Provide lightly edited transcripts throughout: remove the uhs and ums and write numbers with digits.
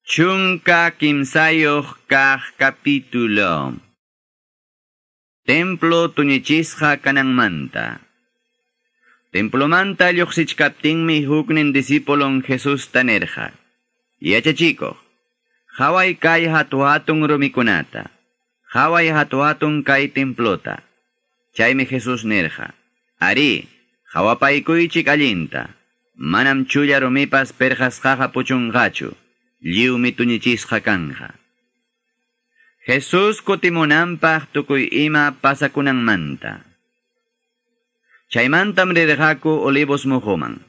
13 kaq capítulo. Templo tuñichisqa kananmanta. Templomanta lluqsichkaptinmi huknin discipulon Jesusta nirqa: Yachachikuq, qhaway kay hatu-hatun rumikunata, qhaway hatu-hatun kay templota. Chaymi Jesús nirqa: Arí, qhawapaykuychik allinta, manam chulla rumipas perqasqaqa puchunqachu, lliwmi tuñichisqa kanja. Jesús kutimunanpaq tukuy ima pasakunanmanta. Chaymantam rirqaku Olivos muhuman.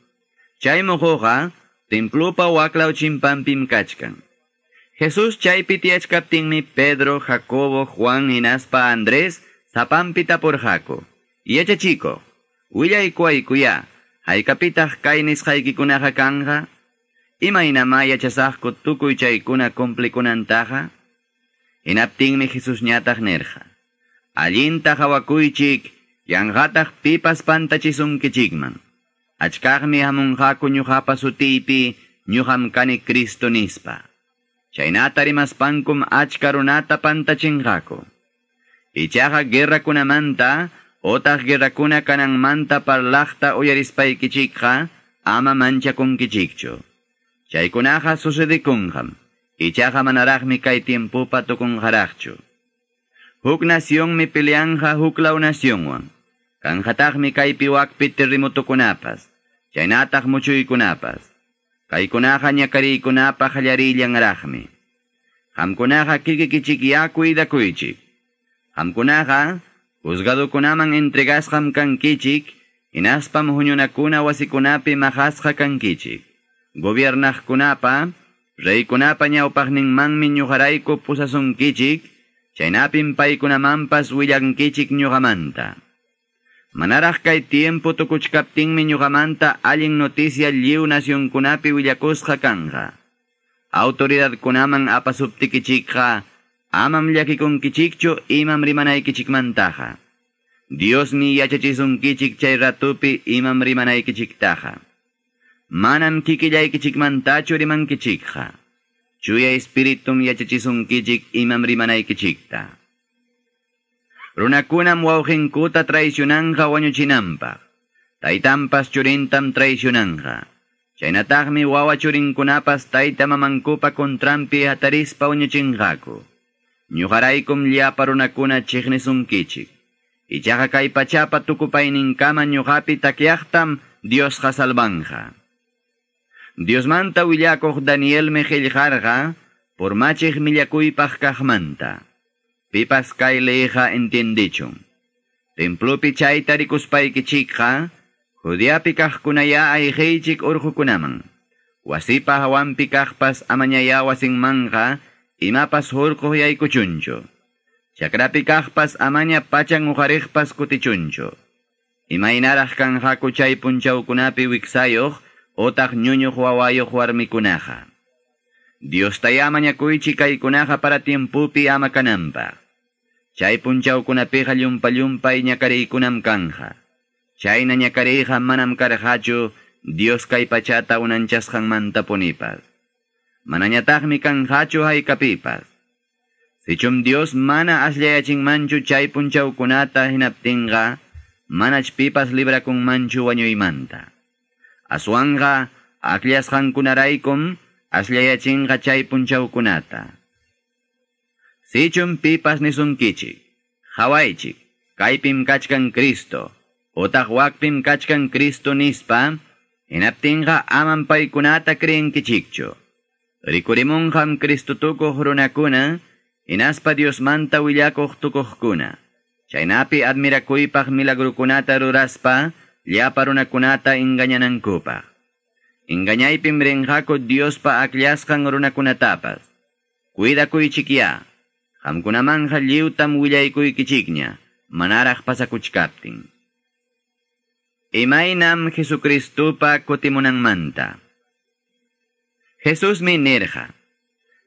Chay muhuqa templopa waklaw chimpanpim kachkan. Jesús chaypi tiyachkaptinmi Pedro, Jacobo, Juan hinaspa Andrés sapanpi tapurqaku: Yachachikuq, willaykuwaykuyá, haykapitaq kay nisqaykikunaqa kanja? Imaynamá yachasaqku tukuy chaykuna cumplikunantaqa? Hinaptinmi Jesusñataq nirqa: Allinta qhawakuychik, yanqataq pipas pantachisunkichikman. Achkaqmi hamunqaku ñuqapa sutiypi, ñuqam kani Cristo nispa. Chaynata rimaspankum achka runata pantachinqaku. Ichaqa guerrakunamanta otaq guerrakuna kananmanta parlaqta uyarispaykichikqa ama manchakunkichikchu. Chaykunaqa sucedikunqam, ichaqa manaraqmi kay tiempopa tukunqaraqchu. Huk nacionmi peleanja huklaw nacionwan. Kanqataqmi kaypi wakpi terremotokunapas, chaynataq muchuykunapas. Kaykunaqa ñakariykunapa qallarillanraqmi. Qamkunaqa kikikichikyá cuidakuychik. Qamkunaqa juzgadokunaman entregasqam kankichik, hinaspam huñunakuna wasikunapi maqasqa kankichik. Gobiernaqkunapa, reykunapa ñawpaqninmanmi ñuqarayku pusasunkichik, chaynapim paykunamanpas willankichik ñuqamanta. Manaraq kay tiempo tukuchkaptinmi ñuqamanta allin noticia lliw nacionkunapi willakusqa kanja. Autoridadkunaman apasuptikichikqa, amam llakikunkichikchu imam rimanaykichikmantaqa. Diosmi yachachisunkichik chay ratupi imam rimanaykichiktaqa. Manam kikillaykichikmantachu rimankichikqa. Chuya espiritum yachachisunkichik imam rimanaykichikta. Runakunam wawqinkuta traicionanja wañuchinanpaq. Taytanpas churintam traicionanja. Chaynataqmi wawa churinkunapas tayta mamankupa contranpi hatarispa wañuchinqaku. Ñuqaraykum llapa runakuna chiqnisunkichik. Ichaqa kay pachapa tukupayninkama ñuqapi takyaqtam Diosqa salvanja. Diosmanta willakuq Danielmi qillqarqa purmachiq millakuypaq kaqmanta. Pipas kay leyqa entiendichun. Templopi chayta rikuspaykichikqa, Judeapi kaqkunayá ayqiychik urqukunaman. Wasipa hawanpi kaqpas amañayá wasinmanqa imapas hurquq yaykuchunchu. Chakrapi kaqpas amaña pachan uqariqpas kutichunchu. Imaynaraq kanqaku chay punchawkunapi wiksayuq otaq ñuñuq wawayuq warmikunaqa. Diostayá mañakuychik kaykunaqa para tiempopi ama kananpaq. Chay punchawkunapiqa llumpa-llumpay ñakariykunam kanja. Chayna ñakariyqa manam karqachu Dios kay pachata unanchasqanmanta punipas. Manañataqmi kanqachu haykapipas. Sichum Dios mana asllayachinmanchu chay punchawkunata hinaptinqa, manach pipas librakunmanchu wañuymanta. Aswanqa akllasqankunaraykum asllayachinqa chay punchawkunata. Sichum pipas nisunkichik, qhawaychik, kaypim kachkan Cristo, otaq wakpim kachkan Cristo nispa, hinaptinqa amam paykunata creenkichikchu. Rikurimunqam Cristo tukuq runakuna, hinaspa Diosmanta willakuq tukuqkuna. Chaynapi admirakuypaq milagrukunata ruraspa, llapa runakunata engañanankupaq. Engañaypim rinqaku Diospa akllashqan runakunatapas. Cuidakuychikyá, qamkunamanja lliwtam willaykuykichikña, manaraq pasakuchkaptin. Imaynam Jesucristopa kutimunanmanta. Jesusmi nirqa: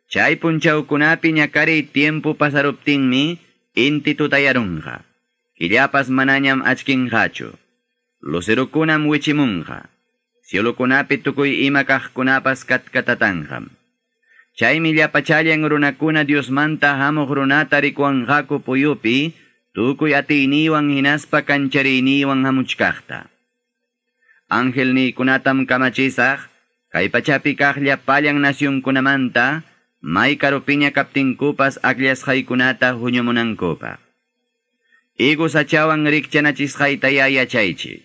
Chay punchawkunapi ñakariy tiempo pasaruptinmi inti tutayarunqa. Killapas manañam achkinqachu. Lucerukunam wichimunqa. Cielukunapi tukuy ima kaqkunapas katkatatanqam. Chaymi llapachallan runakuna Diosmanta hamuq runata rikuwanqaku puyupi, tukuy atiyniywan hinaspa kanchariyniwan hamuchkaqta. Angelniykunatam kamachisaq, kay pachapi kaq llapallan nacionkunamanta, may karupiña kaptinkupas akllasqaykunata huñumunankupaq. Higo sachawan rikchanachisqaytaya yachaychik.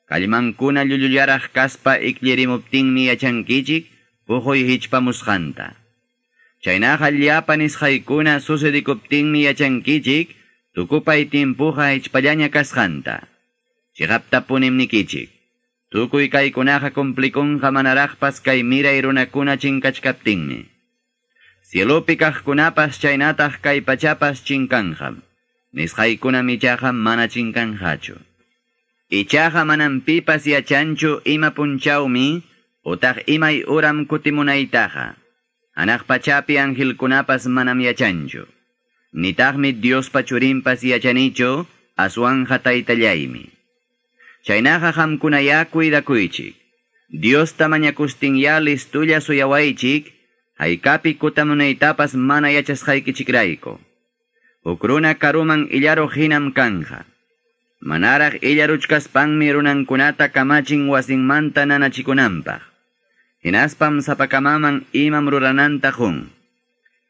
Kallmankuna llullullaraq kaspa ikllarimuptinmi yachankichik puquy hichpamusqanta. Chaynaqa llapa nisqaykuna sucedikuptinmi yachankichik tukupay timpuqa hichpallaña kasqanta. Chiqaptapunim nikichik. Tukuy kaykunaqa cumplikunqa manaraqpas kay miray runakuna chinkachkaptinmi. Cielopi kaqkunapas chaynataq kay pachapas chinkanqam. Nisqaykunam ichaqa mana chinkanqachu. Ichaqa manam pipas yachanchu ima punchawmi utaq imay uram kutimunaytaqa. Hanaq pachapi angelkunapas manam yachanchu. Nitaqmi Diospa churinpas yachanichu, aswanja taytallaymi. Chaynaqa qamkunaya cuidakuychik. Diosta mañakustinya listulla suyawaychik, haykapi kutamunaytapas mana yachasqaykichikrayku. Huk runa karuman illaruq hinam kanja. Manaraq illaruchkaspanmi runankunata kamachin wasinmanta nanachikunanpaq. Hinaspam sapakamaman imam rurananta qun.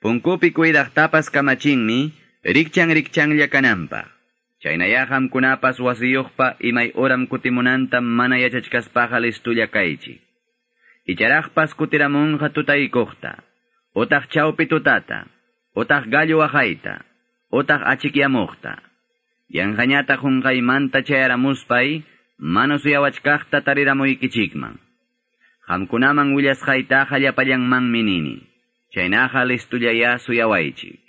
Punkupi cuidaqtapas kamachinmi, rikchan rikchanlla kananpaq. Chaynaya qamkunapas wasiyuqpa imay uram kutimunanta mana yachachkaspaqa listulla kaychik. Icharaqpas kutiramunqa tutaykuqta, utaq chawpi tutata, utaq gallo waqayta, utaq achikyamuqta. Yanqañata qunqaymanta chayaramuspay, mana suyawachkaqta tariramuykichikman. Qamkunaman willasqaytaqa llapallanmanmi nini. Chaynaqa listullayá suyawaychik.